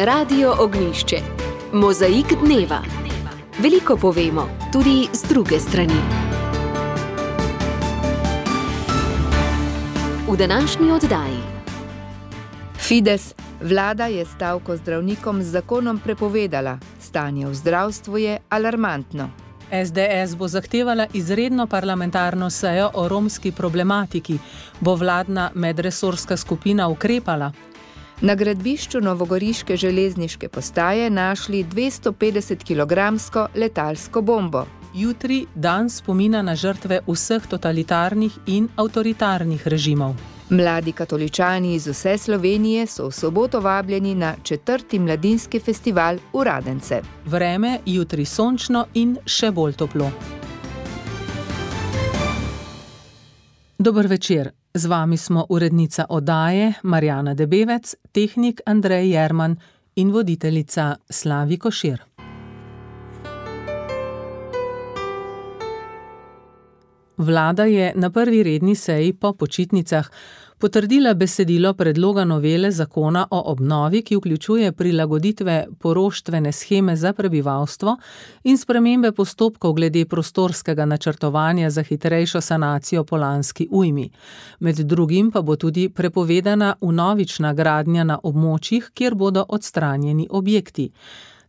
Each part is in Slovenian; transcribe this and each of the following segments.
Radio Ognjišče. Mozaik dneva. Veliko povemo, tudi z druge strani. V današnji oddaji. Fides, vlada je stavko zdravnikom z zakonom prepovedala. Stanje v zdravstvu je alarmantno. SDS bo zahtevala izredno parlamentarno sejo o romski problematiki. Bo vladna medresorska skupina ukrepala? Na gradbišču novogoriške železniške postaje našli 250-kilogramsko letalsko bombo. Jutri dan spomina na žrtve vseh totalitarnih in avtoritarnih režimov. Mladi katoličani iz vse Slovenije so v soboto vabljeni na 4. mladinski festival v Radence. Vreme jutri sončno in še bolj toplo. Dober večer. Z vami smo urednica oddaje Marjana Debevec, tehnik Andrej Jerman in voditeljica Slavi Košir. Vlada je na prvi redni seji po počitnicah potrdila besedilo predloga novele zakona o obnovi, ki vključuje prilagoditve poroštvene sheme za prebivalstvo in spremembe postopkov glede prostorskega načrtovanja za hitrejšo sanacijo po lanski ujmi. Med drugim pa bo tudi prepovedana vnovična gradnja na območjih, kjer bodo odstranjeni objekti.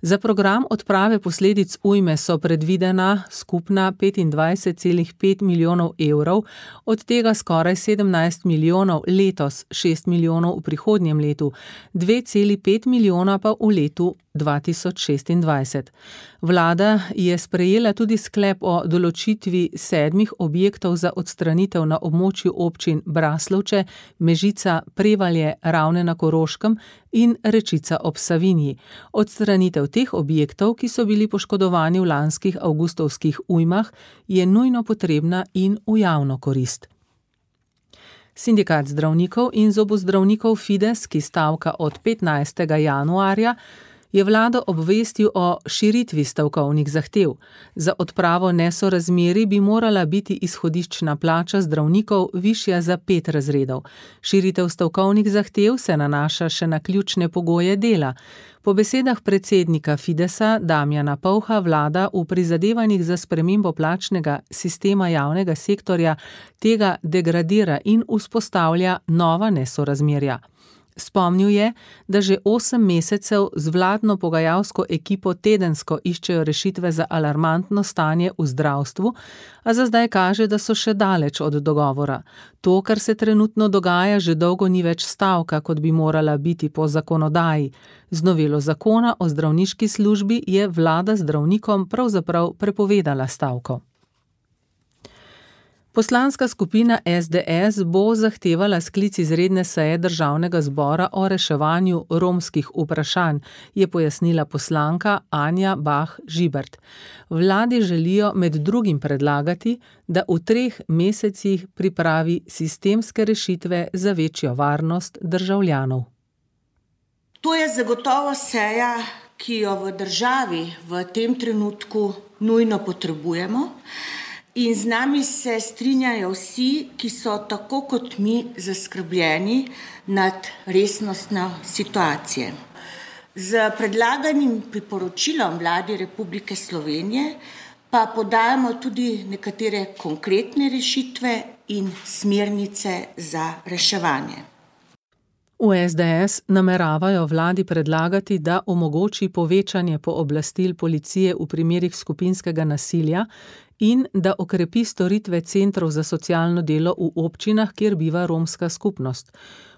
Za program odprave posledic ujme so predvidena skupna 25,5 milijonov evrov, od tega skoraj 17 milijonov letos, 6 milijonov v prihodnjem letu, 2,5 milijona pa v letu 2026. Vlada je sprejela tudi sklep o določitvi 7 objektov za odstranitev na območju občin Braslovče, Mežica, Prevalje, Ravne na Koroškem in Rečica ob Savinji. Odstranitev teh objektov, ki so bili poškodovani v lanskih avgustovskih ujmah, je nujno potrebna in v javno korist. Sindikat zdravnikov in zobozdravnikov Fides, ki stavka od 15. januarja, je vlado obvestil o širitvi stavkovnih zahtev. Za odpravo nesorazmerij bi morala biti izhodiščna plača zdravnikov višja za 5 razredov. Širitev stavkovnih zahtev se nanaša še na ključne pogoje dela. Po besedah predsednika Fidesa Damjana Povha vlada v prizadevanjih za spremembo plačnega sistema javnega sektorja tega degradira in vzpostavlja nova nesorazmerja. Spomnil je, da že 8 mesecev z vladno pogajalsko ekipo tedensko iščejo rešitve za alarmantno stanje v zdravstvu, a za zdaj kaže, da so še daleč od dogovora. To, kar se trenutno dogaja, že dolgo ni več stavka, kot bi morala biti po zakonodaji. Z novelo zakona o zdravniški službi je vlada zdravnikom pravzaprav prepovedala stavko. Poslanska skupina SDS bo zahtevala sklic izredne seje Državnega zbora o reševanju romskih vprašanj, je pojasnila poslanka Anja Bah Žibert. Vladi želijo med drugim predlagati, da v 3 mesecih pripravi sistemske rešitve za večjo varnost državljanov. To je zagotovo seja, ki jo v državi v tem trenutku nujno potrebujemo. In z nami se strinjajo vsi, ki so tako kot mi zaskrbljeni nad resnostjo situacije. Z predlaganim priporočilom Vladi Republike Slovenije pa podajamo tudi nekatere konkretne rešitve in smernice za reševanje. V SDS nameravajo vladi predlagati, da omogoči povečanje pooblastil policije v primerih skupinskega nasilja in da okrepi storitve centrov za socialno delo v občinah, kjer biva romska skupnost.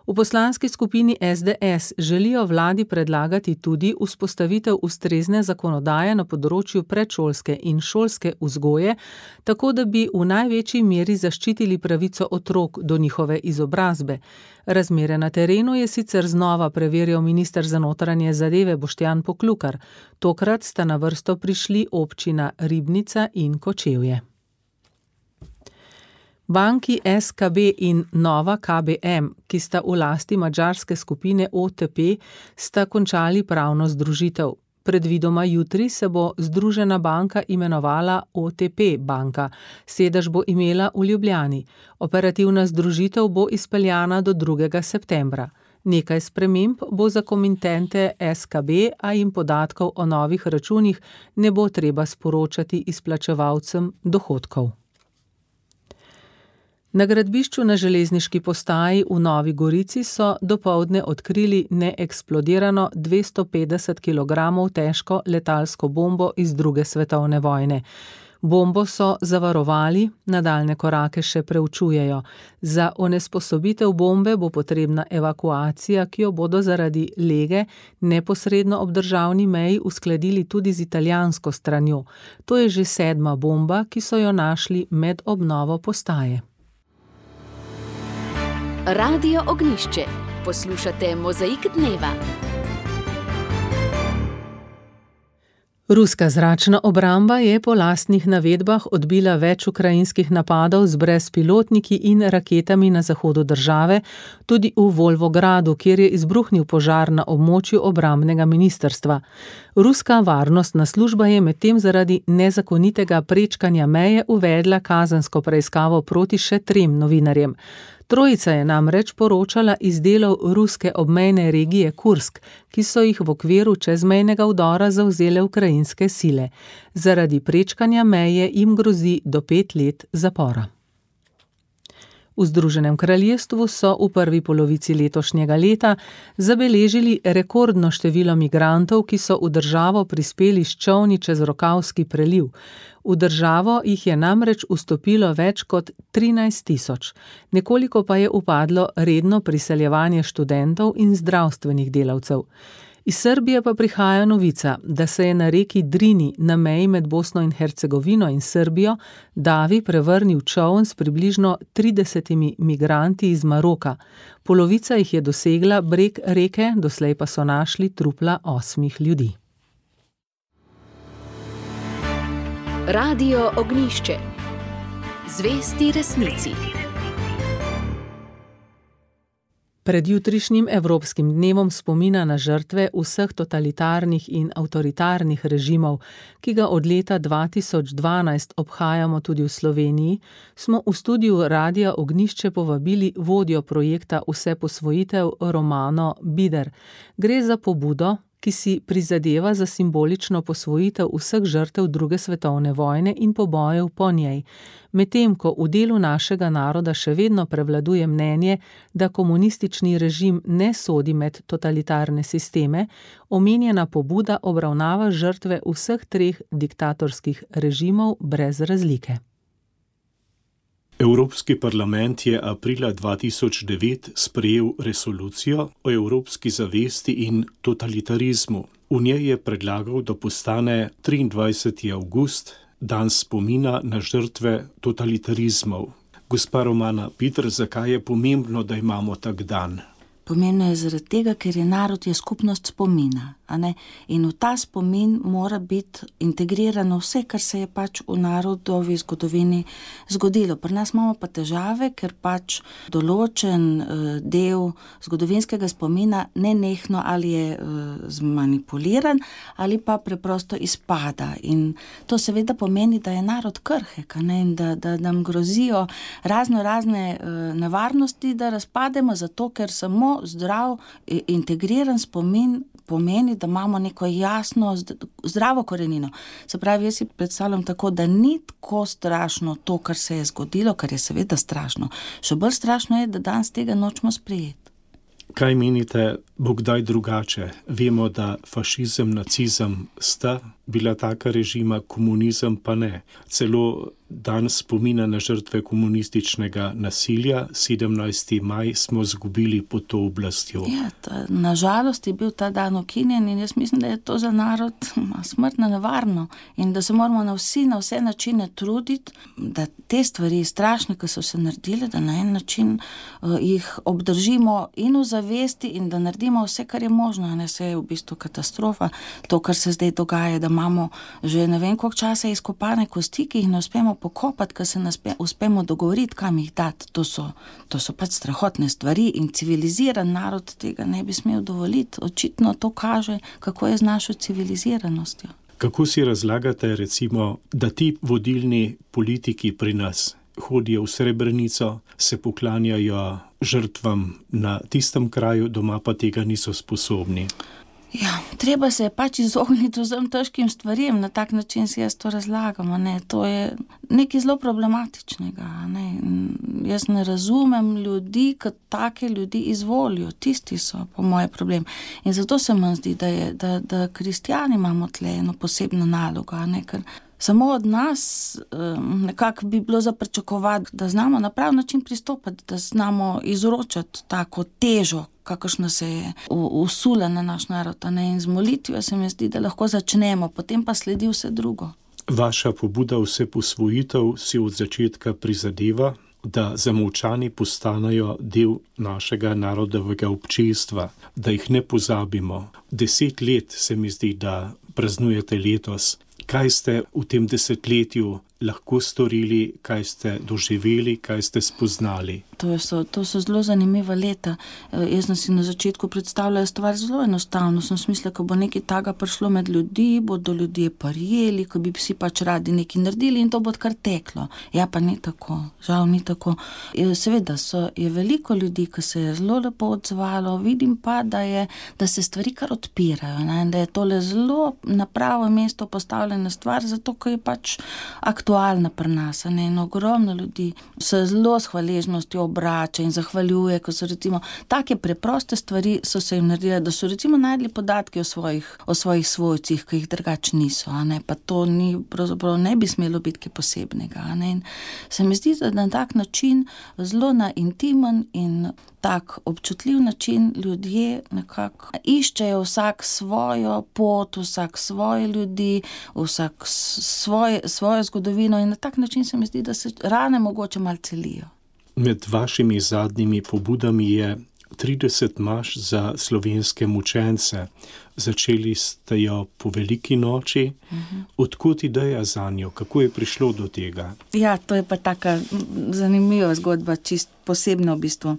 V poslanski skupini SDS želijo vladi predlagati tudi vzpostavitev ustrezne zakonodaje na področju predšolske in šolske vzgoje, tako da bi v največji meri zaščitili pravico otrok do njihove izobrazbe. Razmere na terenu je sicer znova preverjal minister za notranje zadeve Boštjan Poklukar. Tokrat sta na vrsto prišli občina Ribnica in Kočevje. Banki SKB in Nova KBM, ki sta v lasti madžarske skupine OTP, sta končali pravno združitev. Predvidoma jutri se bo združena banka imenovala OTP banka, sedež bo imela v Ljubljani. Operativna združitev bo izpeljana do 2. septembra. Nekaj sprememb bo za komitente SKB, a jim podatkov o novih računih ne bo treba sporočati izplačevalcem dohodkov. Na gradbišču na železniški postaji v Novi Gorici so dopoldne odkrili neeksplodirano 250 kg težko letalsko bombo iz II. Svetovne vojne. Bombo so zavarovali, nadaljne korake še preučujejo. Za onesposobitev bombe bo potrebna evakuacija, ki jo bodo zaradi lege neposredno ob državni meji uskladili tudi z italijansko stranjo. To je že 7. bomba, ki so jo našli med obnovo postaje. Radio Ognjišče. Poslušate Mozaik dneva. Ruska zračna obramba je po lastnih navedbah odbila več ukrajinskih napadov z brezpilotniki in raketami na zahodu države, tudi v Volvogradu, kjer je izbruhnil požar na območju obrambnega ministrstva. Ruska varnostna služba je medtem zaradi nezakonitega prečkanja meje uvedla kazensko preiskavo proti še 3 novinarjem. Trojica je namreč poročala iz delov ruske obmejne regije Kursk, ki so jih v okviru čezmejnega vdora zavzele ukrajinske sile. Zaradi prečkanja meje jim grozi do 5 let zapora. V Združenem kraljestvu so v prvi polovici letošnjega leta zabeležili rekordno število migrantov, ki so v državo prispeli s čolni čez Rokavski preliv. V državo jih je namreč vstopilo več kot 13 000, nekoliko pa je upadlo redno priseljevanje študentov in zdravstvenih delavcev. Iz Srbije pa prihaja novica, da se je na reki Drini na meji med Bosno in Hercegovino in Srbijo davi prevrnil čoln s približno 30 migranti iz Maroka. Polovica jih je dosegla breg reke, doslej pa so našli trupla 8 ljudi. Radio Ognjišče. Zvesti resnici. Pred jutrišnjim Evropskim dnevom spomina na žrtve vseh totalitarnih in avtoritarnih režimov, ki ga od leta 2012 obhajamo tudi v Sloveniji, smo v studiu Radia Ognjišče povabili vodjo projekta Vseposvojitev Romano Bider. Gre za pobudo, ki si prizadeva za simbolično posvojitev vseh žrtev II. Svetovne vojne in pobojev po njej. Medtem ko v delu našega naroda še vedno prevladuje mnenje, da komunistični režim ne sodi med totalitarne sisteme, omenjena pobuda obravnava žrtve vseh 3 diktatorskih režimov brez razlike. Evropski parlament je aprila 2009 sprejel resolucijo o evropski zavesti in totalitarizmu. V njej je predlagal, da postane 23. avgust dan spomina na žrtve totalitarizmov. Gospa Romana Bider, zakaj je pomembno, da imamo tak dan? Pomembno je zaradi tega, ker je narod je skupnost spomina, a ne? In v ta spomin mora biti integrirano vse, kar se je pač v narodovi zgodovini zgodilo. Pri nas imamo pa težave, ker pač določen del zgodovinskega spomina nenehno ali je zmanipuliran ali pa preprosto izpada. In to seveda pomeni, da je narod krhek, a ne? In da nam grozijo razne nevarnosti, da razpademo zato, ker samo zdrav, integriran spomin pomeni, da imamo neko jasno, zdravo korenino. Se pravi, jaz si predstavljam tako, da ni tako strašno to, kar se je zgodilo, kar je seveda strašno. Še bolj strašno je, da danes tega nočemo sprejeti. Kaj menite, bo kdaj drugače? Vemo, da fašizem, nacizem sta bila taka režima, komunizem pa ne. Celo dan spomina na žrtve komunističnega nasilja, 17. maj, smo izgubili pod to oblastjo. Ja, nažalost je bil ta dan ukinjen in jaz mislim, da je to za narod smrtno nevarno in da se moramo na vse načine truditi, da te stvari strašne, ki so se naredile, da na en način jih obdržimo in v zavesti in da naredimo vse, kar je možno. Ne, se je v bistvu katastrofa, to, kar se zdaj dogaja, da imamo že ne vem koliko časa izkopane kosti, ki jih ne uspemo pokopati, ker se ne uspemo dogovoriti, kam jih dati. To so pač strahotne stvari in civiliziran narod tega ne bi smel dovoliti. Očitno to kaže, kako je z našo civiliziranostjo. Kako si razlagate, recimo, da ti vodilni politiki pri nas, hodijo v Srebrenico, se poklanjajo žrtvam na tistem kraju, doma pa tega niso sposobni. Ja, treba se je pač izogniti vsem težkim stvarem, na tak način si jaz to razlagam, ne. To je nekaj zelo problematičnega, ne. Jaz ne razumem ljudi, ki take ljudi izvolijo, tisti so po moje problem. In zato se mi zdi, da kristjani imamo tle eno posebno nalogo, ne, ker samo od nas nekako bi bilo za pričakovati, da znamo na prav način pristopati, da znamo izročati tako težo, kakršna se je usula na naš narod, ne? In z molitvijo se mi zdi, da lahko začnemo, potem pa sledi vse drugo. Vaša pobuda vseposvojitev si od začetka prizadeva, da zamolčani postanejo del našega narodovega občestva, da jih ne pozabimo. 10 let se mi zdi, da praznujete letos. Kaj ste v tem desetletju lahko storili, kaj ste doživeli, kaj ste spoznali? To so zelo zanimiva leta. Jaz sem si na začetku predstavljala stvar zelo enostavno. Sem mislila, ko bo nekaj taga prišlo med ljudi, bodo ljudje prijeli, ko bi si pač radi nekaj naredili in to bo kar teklo. Ja, pa ni tako. Žal ni tako. Seveda je veliko ljudi, ki se je zelo lepo odzvalo. Vidim pa, da se stvari kar odpirajo, ne? Da je tole zelo na pravo mesto postavljena stvar, zato ko je pač aktualna pri nas, ne? In ogromno ljudi se zelo s hvaležnostjo obrača in zahvaljuje, ko so recimo take preproste stvari so se jim naredile, da so recimo najdli podatke o svojih svojcih, ki jih drugače niso, ne? Pa to ni, pravzaprav ne bi smelo biti kaj posebnega, ne? In se mi zdi, da na tak način, zelo na intimen in tak občutljiv način ljudje nekako iščejo vsak svojo pot, vsak svoje ljudi, vsak svojo zgodovino in na tak način se mi zdi, da se rane mogoče malo celijo. Med vašimi zadnjimi pobudami je 30 maš za slovenske mučence. Začeli ste jo po veliki noči. Odkot ideja zanjo? Kako je prišlo do tega? Ja, to je pa taka zanimiva zgodba, čist posebna v bistvu.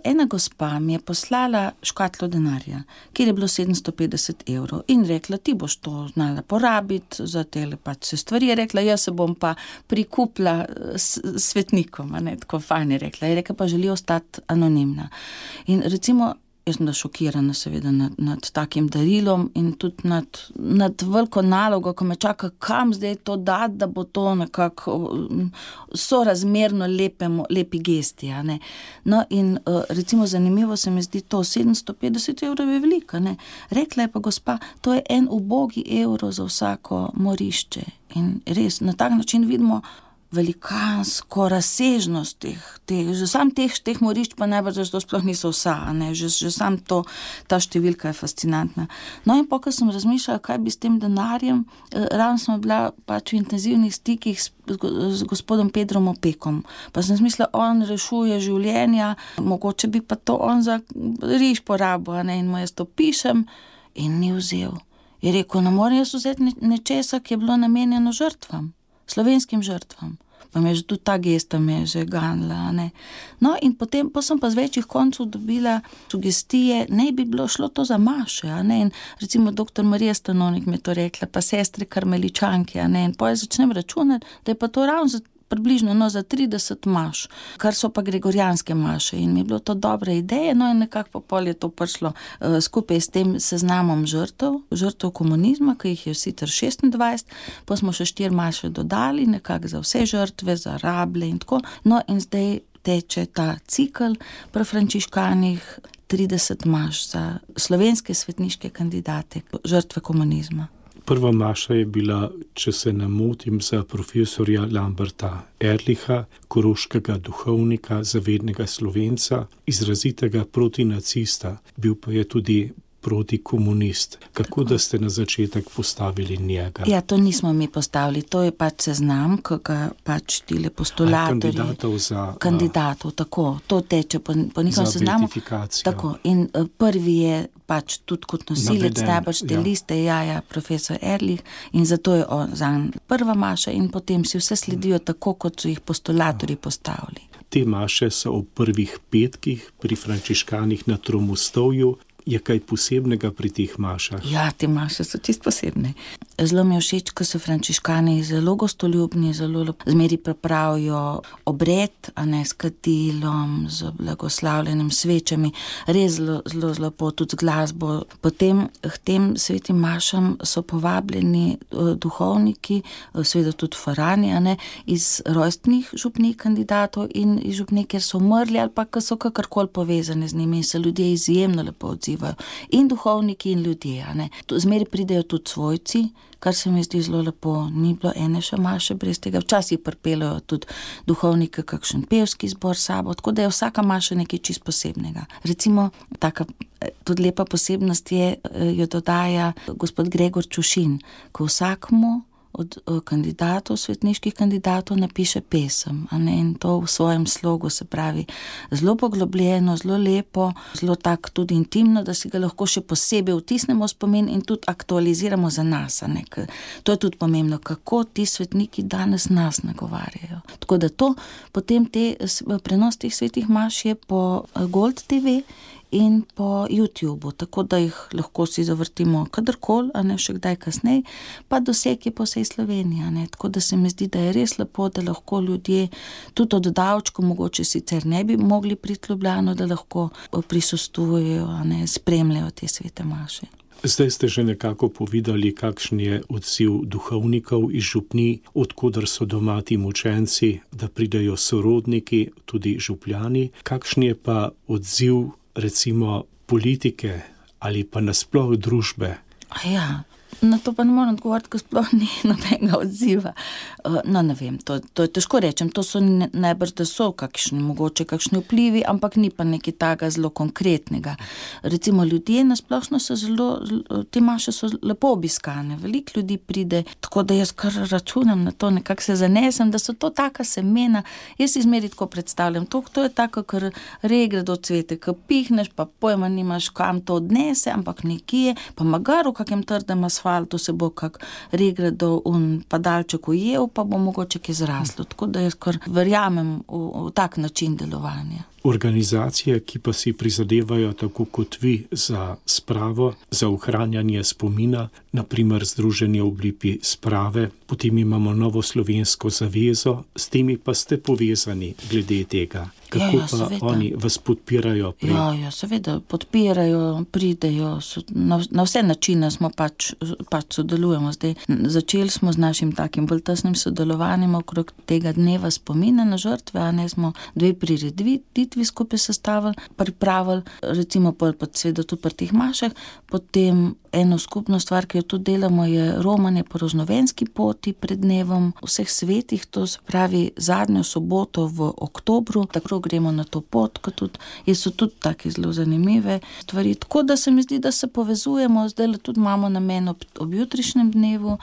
Ena gospa mi je poslala škatlo denarja, kjer je bilo 750 evrov in rekla, ti boš to znala porabiti za tele pač se stvari. Je rekla, jaz se bom pa prikupila svetnikom, ne, tako fajn je rekla. Je rekla, pa želi ostati anonimna. In recimo, jaz sem da šokirana seveda nad takim darilom in tudi nad veliko nalogo, ko me čaka, kam zdaj to dati, da bo to nekako sorazmerno lepi gesti, ne. No in recimo zanimivo se mi zdi to, 750 evrov je velika, ne. Rekla je pa gospa, to je 1 ubogi evro za vsako morišče in res na tak način vidimo velikansko razsežnost že sam teh morišč pa najbolj, da to sploh niso vsa, ne, že sam ta številka je fascinantna. No in ko sem razmišljala, kaj bi s tem denarjem, ravno sem bila pač v intenzivnih stikih z gospodom Pedrom Opekom, pa sem mislila, on rešuje življenja, mogoče bi pa to on za riž porabil, ne, in mu jaz to pišem in ni vzel. Je rekel, ne morem jaz vzeti nečesa, ki je bilo namenjeno žrtvam, slovenskim žrtvam. Pa me že tudi ta gesta me je že ganila, ne. No in potem sem pa z večjih koncev dobila sugestije, ne bi bilo šlo to za maše, ne. In recimo dr. Marija Stanovnik mi je to rekla, pa sestre karmeličanke, ne. In potem začnem računati, da je pa to ravno približno za 30 maš, kar so pa gregorijanske maše in mi je bilo to dobra ideja, no in nekako pol je to prišlo skupaj s tem seznamom žrtev komunizma, ki jih je sicer 26, pa smo še 4 maše dodali, nekako za vse žrtve, za rablje in tako, no in zdaj teče ta cikel pri frančiškanih 30 maš za slovenske svetniške kandidate, žrtve komunizma. Prva maša je bila, če se ne motim, za profesorja Lamberta Erlicha, koroškega duhovnika, zavednega Slovenca, izrazitega protinacista, bil pa je tudi protikomunist. Kako da ste na začetek postavili njega? Ja, to nismo mi postavili, to je pač seznam, ki ga pač tile postulatorji. Kandidatov, tako, to teče po njihovem seznamu. Za verifikacijo. Tako, in prvi je pač tudi kot nosilec najbrž te liste, profesor Erlich, in zato je zanj prva maša in potem si vse sledijo tako, kot so jih postulatorji postavili. Te maše so ob prvih petkih pri frančiškanih na Tromostovju. je kaj posebnega pri teh mašah? Ja, te maše so čisto posebne. Zelo mi je všeč, ko so frančiškani zelo gostoljubni, zelo zmeri pripravijo obred, a ne s kadilom, z blagoslavljenim svečami, res zelo lepo, tudi z glasbo. Potem k tem svetim mašam so povabljeni duhovniki, seveda tudi farani, a ne, iz rojstnih župnih kandidatov in iz župnih, kjer so umrli ali pa so kakorkoli povezani z njimi in se ljudje izjemno lepo odzivajo. In duhovniki in ljudje, a ne. Zmeri pridejo tudi svojci, kar se mi zdi zelo lepo. Ni bilo ene še maše brez tega. Včasih pripeljejo tudi duhovnike kakšen pevski zbor s sabo, tako da je vsaka maša nekaj čisto posebnega. Recimo, taka tudi lepa posebnost je, jo dodaja gospod Gregor Čušin, ko vsakmu od kandidatov, svetniških kandidatov napiše pesem, a ne, in to v svojem slogu, se pravi, zelo poglobljeno, zelo lepo, zelo tak tudi intimno, da si ga lahko še posebej vtisnemo v spomin in tudi aktualiziramo za nas, a ne, to je tudi pomembno, kako ti svetniki danes nas nagovarjajo. Tako da to, potem prenos teh svetih maš je po Gold TV in po YouTubeu, tako da jih lahko si zavrtimo kadarkoli, a ne, še kdaj kasneje, pa doseg je po vsej Sloveniji, a ne, tako da se mi zdi, da je res lepo, da lahko ljudje tudi od davčkov, mogoče sicer ne bi mogli priti v Ljubljano, da lahko prisostvujejo, a ne, spremljajo te svete maše. Zdaj ste že nekako povedali, kakšen je odziv duhovnikov iz župnij, odkudar so doma ti mučenci, da pridejo sorodniki, tudi župljani. Kakšen je pa odziv recimo politike ali pa nasploh družbe? Ja, na to pa ne moram odgovoriti, ko sploh ni nobenega odziva. No, ne vem, to je težko rečem, to so najbrž, da so mogoče kakšni vplivi, ampak ni pa nekaj takega zelo konkretnega. Recimo ljudje nasplošno so te maše so lepo obiskane, veliko ljudi pride, tako da jaz kar računam na to, nekako se zanesem, da so to taka semena, jaz si zmeri tako predstavljam, to je tako, kar regredo cvete, ko pihneš, pa pojma nimaš, kam to odnese, ampak nekje, pa magar v kakem trdem asfaltu se bo kak regredo padalček ujel, pa bo mogoče kaj zraslo. Tako da jaz kar verjamem v tak način delovanja. Organizacije, ki pa si prizadevajo tako kot vi za spravo, za ohranjanje spomina, na primer Združenje v obliki sprave, potem imamo Novo slovensko zavezo, s temi pa ste povezani glede tega. Kako pa seveda oni vas podpirajo? Ja, seveda, podpirajo, pridejo, na vse načine smo pač sodelujemo. Zdaj, začeli smo z našim takim bolj tesnim sodelovanjem okrog tega dneva spomina na žrtve, a ne, smo 2 prireditvi skupaj pripravili, recimo seveda tudi pri teh mašah, potem eno skupno stvar, ki jo tudi delamo, je romanje po rožnovenski poti pred dnevom vseh svetih, to se pravi zadnjo soboto v oktobru, tako gremo na to pot, kot tudi, so tudi take zelo zanimive stvari, tako da se mi zdi, da se povezujemo, zdaj tudi imamo namen ob jutrišnjem dnevu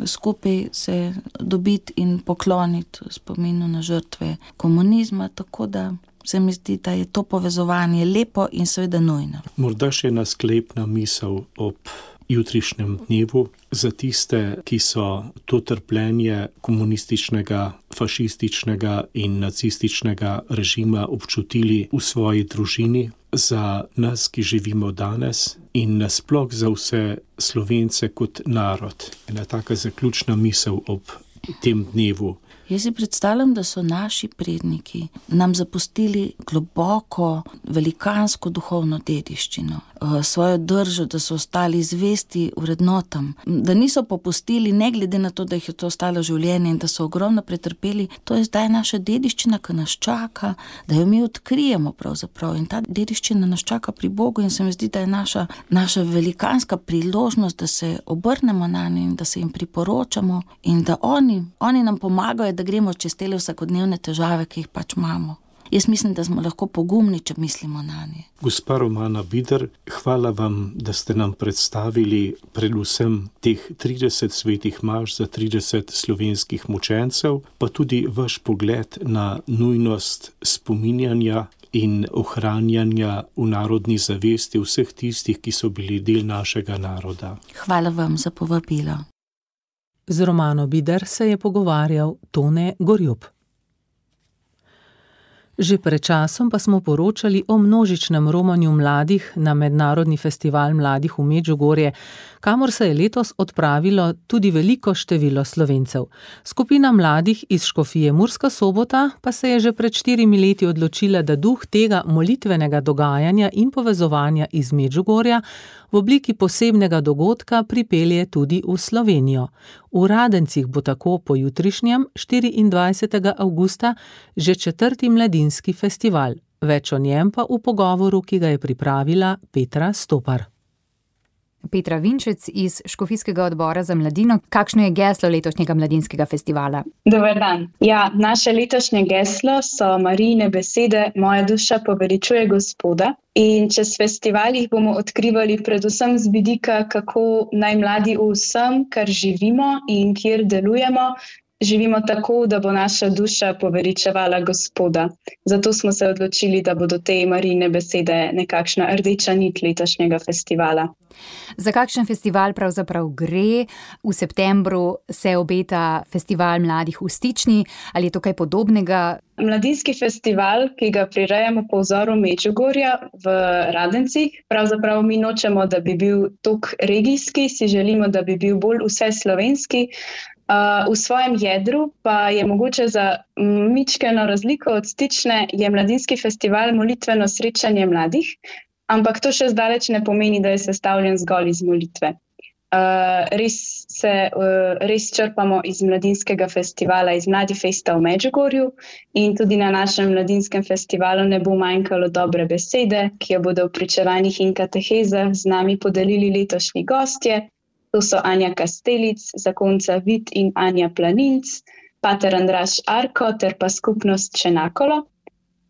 skupaj se dobiti in pokloniti spominu na žrtve komunizma, tako da se mi zdi, da je to povezovanje lepo in seveda nujno. Morda še ena sklepna misel ob jutrišnjem dnevu za tiste, ki so to trpljenje komunističnega, fašističnega in nacističnega režima občutili v svoji družini, za nas, ki živimo danes in nasploh za vse Slovence kot narod. Ena taka zaključna misel ob tem dnevu. Jaz si predstavljam, da so naši predniki nam zapustili globoko, velikansko duhovno dediščino, svojo držo, da so ostali zvesti vrednotam, da niso popustili, ne glede na to, da jih je to ostalo življenje in da so ogromno pretrpeli. To je zdaj naša dediščina, ki nas čaka, da jo mi odkrijemo pravzaprav, in ta dediščina nas čaka pri Bogu in se mi zdi, da je naša velikanska priložnost, da se obrnemo na nje in da se jim priporočamo in da oni nam pomagajo, da gremo čez te vsakodnevne težave, ki jih pač imamo. Jaz mislim, da smo lahko pogumni, če mislimo na nje. Gospa Romana Bider, hvala vam, da ste nam predstavili predvsem teh 30 svetih maš za 30 slovenskih mučencev, pa tudi vaš pogled na nujnost spominjanja in ohranjanja v narodni zavesti vseh tistih, ki so bili del našega naroda. Hvala vam za povabilo. Z Romano Bider se je pogovarjal Tone Gorjup. Že pred časom pa smo poročali o množičnem romanju mladih na Mednarodni festival mladih v Medžugorje, kamor se je letos odpravilo tudi veliko število Slovencev. Skupina mladih iz Škofije Murska Sobota pa se je že pred 4 leti odločila, da duh tega molitvenega dogajanja in povezovanja iz Medžugorja v obliki posebnega dogodka pripelje tudi v Slovenijo. V Radencih bo tako po jutrišnjem, 24. avgusta, že 4. mladinski festival. Več o njem pa v pogovoru, ki ga je pripravila Petra Stopar. Petra Vinčec iz Škofijskega odbora za mladino. Kakšno je geslo letošnjega mladinskega festivala? Dober dan. Ja, naše letošnje geslo so Marijine besede Moja duša poveličuje Gospoda. In čez festival jih bomo odkrivali predvsem z vidika, kako naj mladi v vsem, kar živimo in kjer delujemo, živimo tako, da bo naša duša poveličevala Gospoda. Zato smo se odločili, da bodo te Marijine besede nekakšna rdeča nit letošnjega festivala. Za kakšen festival pravzaprav gre? V septembru se obeta festival mladih v Stični. Ali je to kaj podobnega? Mladinski festival, ki ga prirejamo po vzoru Medžugorja v Radencih, pravzaprav mi nočemo, da bi bil tok regijski, si želimo, da bi bil bolj vseslovenski. V svojem jedru pa je mogoče za mičkeno razliko od Stične je mladinski festival molitveno srečanje mladih, ampak to še zdaleč ne pomeni, da je sestavljen zgolj iz molitve. Res črpamo iz mladinskega festivala, iz Mladifesta v Medžugorju in tudi na našem mladinskem festivalu ne bo manjkalo dobre besede, ki jo bodo v pričevanjih in katehezah z nami podelili letošnji gostje. To so Anja Kastelic, zakonca Vid in Anja Planinc, pater Andraž Arko ter pa skupnost Čenakolo.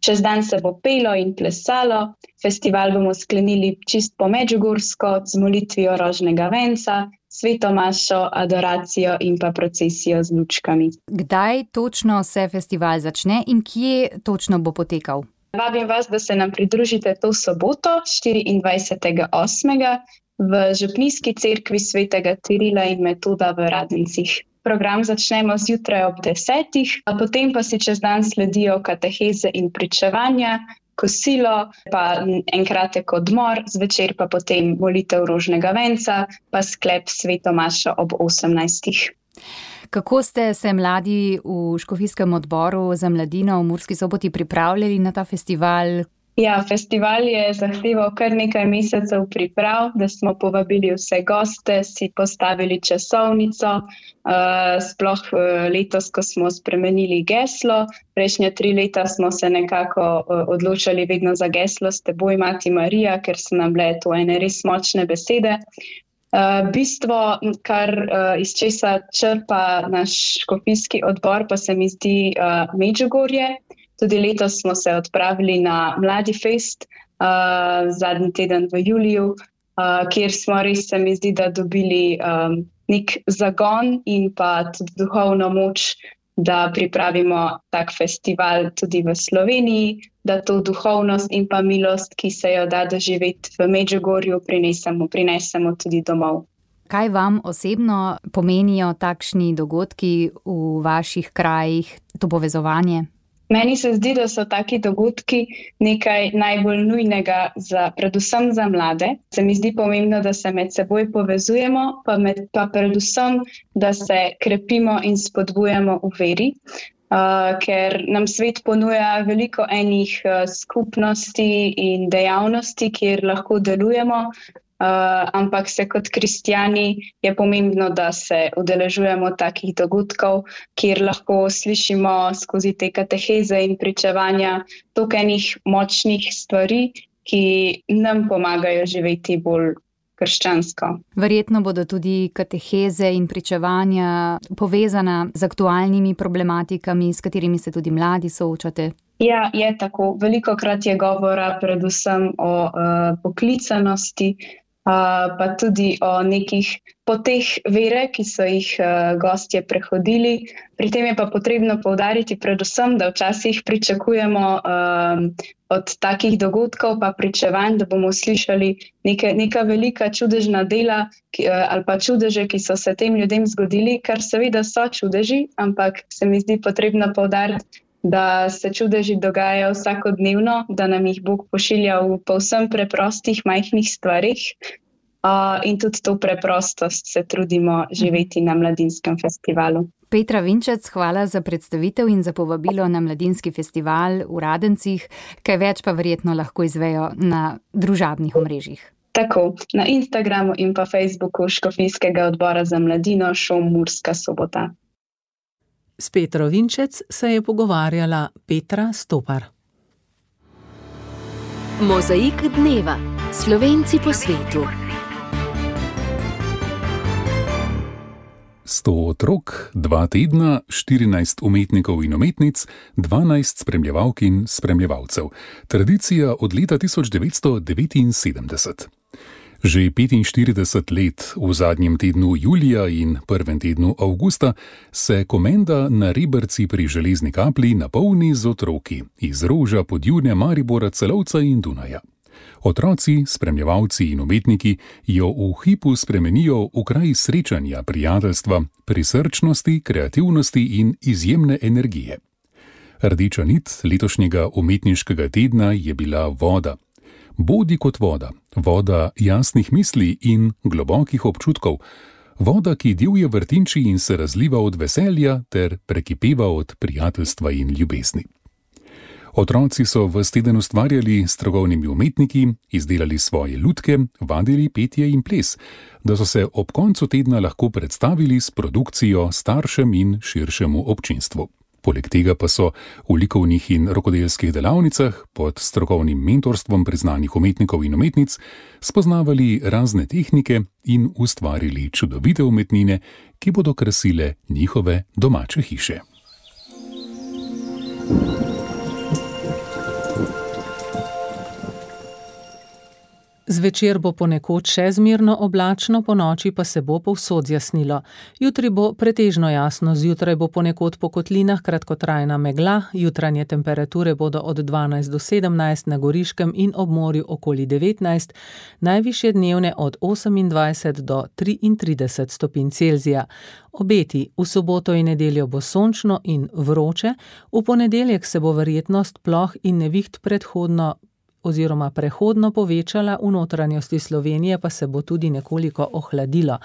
Čez dan se bo pelo in plesalo, festival bomo sklenili čist po medžugorsko z molitvijo rožnega venca, sveto mašo, adoracijo in pa procesijo z lučkami. Kdaj točno se festival začne in kje točno bo potekal? Vabim vas, da se nam pridružite to soboto, 24.8. v Župnijski cerkvi svetega Cirila in Metoda v Radencih. Program začnemo zjutraj ob 10, a potem pa si čez dan sledijo kateheze in pričevanja, kosilo, pa en kratek odmor, zvečer pa potem molitev rožnega venca, pa sklep sveto mašo ob 18. Kako ste se mladi v Škofijskem odboru za mladino v Murski Soboti pripravljali na ta festival? Ja, festival je zahteval kar nekaj mesecev priprav, da smo povabili vse goste, si postavili časovnico, sploh letos, ko smo spremenili geslo. Prejšnja 3 leta smo se nekako odločali vedno za geslo S teboj, Mati Marija, ker so nam bile to ene res močne besede. Bistvo, kar iz česa črpa naš škofijski odbor, pa se mi zdi Medžugorje. Tudi letos smo se odpravili na Mladifest, zadnji teden v juliju, kjer smo res, se mi zdi, da dobili nek zagon in pa tudi duhovno moč, da pripravimo tak festival tudi v Sloveniji, da to duhovnost in pa milost, ki se jo da doživeti v Medžugorju, prinesemo tudi domov. Kaj vam osebno pomenijo takšni dogodki v vaših krajih, to povezovanje? Meni se zdi, da so taki dogodki nekaj najbolj nujnega predvsem za mlade. Se mi zdi pomembno, da se med seboj povezujemo, pa predvsem, da se krepimo in spodbujamo v veri, ker nam svet ponuja veliko enih skupnosti in dejavnosti, kjer lahko delujemo, ampak se kot kristjani je pomembno, da se udeležujemo takih dogodkov, kjer lahko slišimo skozi te kateheze in pričevanja toliko enih močnih stvari, ki nam pomagajo živeti bolj krščansko. Verjetno bodo tudi kateheze in pričevanja povezana z aktualnimi problematikami, s katerimi se tudi mladi soočate. Ja, je tako. Velikokrat je govora predvsem o poklicanosti, pa tudi o nekih poteh vere, ki so jih gostje prehodili. Pri tem je pa potrebno poudariti predvsem, da včasih pričakujemo od takih dogodkov pa pričevanj, da bomo slišali neka velika čudežna dela ali pa čudeže, ki so se tem ljudem zgodili, kar seveda so čudeži, ampak se mi zdi potrebno poudariti, da se čudeži dogajajo vsakodnevno, da nam jih Bog pošilja v povsem preprostih, majhnih stvarih. In tudi to preprostost se trudimo živeti na Mladinskem festivalu. Petra Vinčec, hvala za predstavitev in za povabilo na Mladinski festival v Radencih. Kaj več pa verjetno lahko izvejo na družabnih omrežjih. Tako, na Instagramu in pa Facebooku Škofijskega odbora za mladino ŠOM Murska Sobota. S Petro Vinčec se je pogovarjala Petra Stopar. Mozaik dneva. Slovenci po svetu. 100 otrok, 2 tedna, 14 umetnikov in umetnic, 12 spremljevalk in spremljevalcev. Tradicija od leta 1979. Že 45 let v zadnjem tednu julija in prvem tednu avgusta se Komenda na Reberci pri Železni Kapli napolni z otroki iz Roža, Podjune, Maribora, Celovca in Dunaja. Otroci, spremljevalci in umetniki jo v hipu spremenijo v kraj srečanja, prijateljstva, prisrčnosti, kreativnosti in izjemne energije. Rdeča nit letošnjega umetniškega tedna je bila voda. Bodi kot voda, voda jasnih misli in globokih občutkov, voda, ki divje vrtinči in se razliva od veselja ter prekipeva od prijateljstva in ljubezni. Otroci so ves teden ustvarjali s strokovnimi umetniki, izdelali svoje lutke, vadili petje in ples, da so se ob koncu tedna lahko predstavili s produkcijo staršem in širšemu občinstvu. Poleg tega pa so v likovnih in rokodelskih delavnicah pod strokovnim mentorstvom priznanih umetnikov in umetnic spoznavali razne tehnike in ustvarili čudovite umetnine, ki bodo krasile njihove domače hiše. Zvečer bo ponekod še zmerno oblačno, ponoči pa se bo povsod zjasnilo. Jutri bo pretežno jasno, zjutraj bo ponekod po kotlinah kratkotrajna megla, jutranje temperature bodo od 12 do 17, na Goriškem in ob morju okoli 19, najvišje dnevne od 28 do 33 stopinj Celzija. Obeti: v soboto in nedeljo bo sončno in vroče, v ponedeljek se bo verjetnost ploh in neviht prehodno povečala, v notranjosti Slovenije pa se bo tudi nekoliko ohladilo.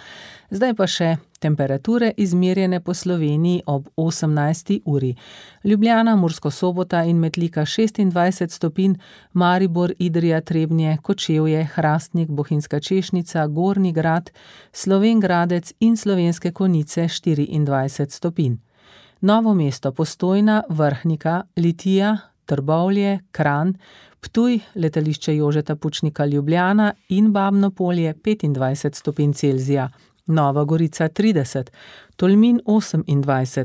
Zdaj pa še temperature izmerjene po Sloveniji ob 18. uri. Ljubljana, Murska Sobota in Metlika 26 stopinj, Maribor, Idrija, Trebnje, Kočevje, Hrastnik, Bohinjska Češnica, Gornji Grad, Slovenj Gradec in Slovenske Konjice 24 stopinj. Novo mesto, Postojna, Vrhnika, Litija, Trbovlje, Kranj, Ptuj, letališče Jožeta Pučnika Ljubljana in Babno Polje 25 stopinj Celzija, Nova Gorica 30, Tolmin 28,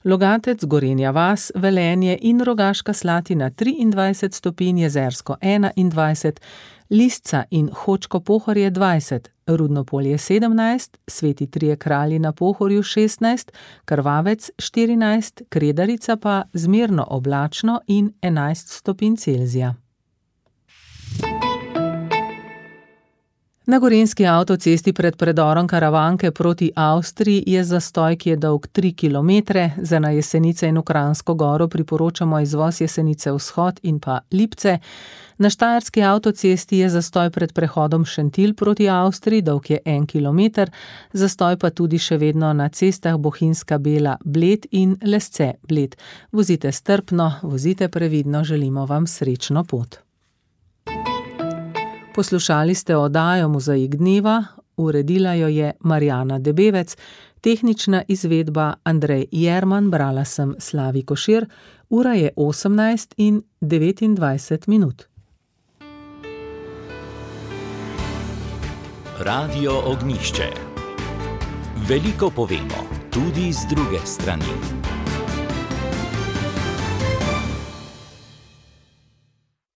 Logatec, Gorenja vas, Velenje in Rogaška Slatina 23 stopinj, Jezersko 21, Lisca in Hočko Pohorje 20, Rudno Polje 17, Sveti Trije Kralji na Pohorju 16, Krvavec 14, Kredarica pa zmerno oblačno in 11 stopinj Celzija. Na gorenjski avtocesti pred predorom Karavanke proti Avstriji je zastoj, ki je dolg 3 kilometre. Za na Jesenice in v Kranjsko Goro priporočamo izvoz Jesenice Vzhod in pa Lipce. Na štajerski avtocesti je zastoj pred prehodom Šentilj proti Avstriji, dolg je 1 kilometer, zastoj pa tudi še vedno na cestah Bohinjska Bela Bled in Lesce Bled. Vozite strpno, vozite previdno, želimo vam srečno pot. Poslušali ste oddajo Mozaik dneva, uredila jo je Marjana Debevec, tehnična izvedba Andrej Jerman, brala sem Slavi Košir, ura je 18:29. Radio Ognjišče. Veliko povemo, tudi z druge strani.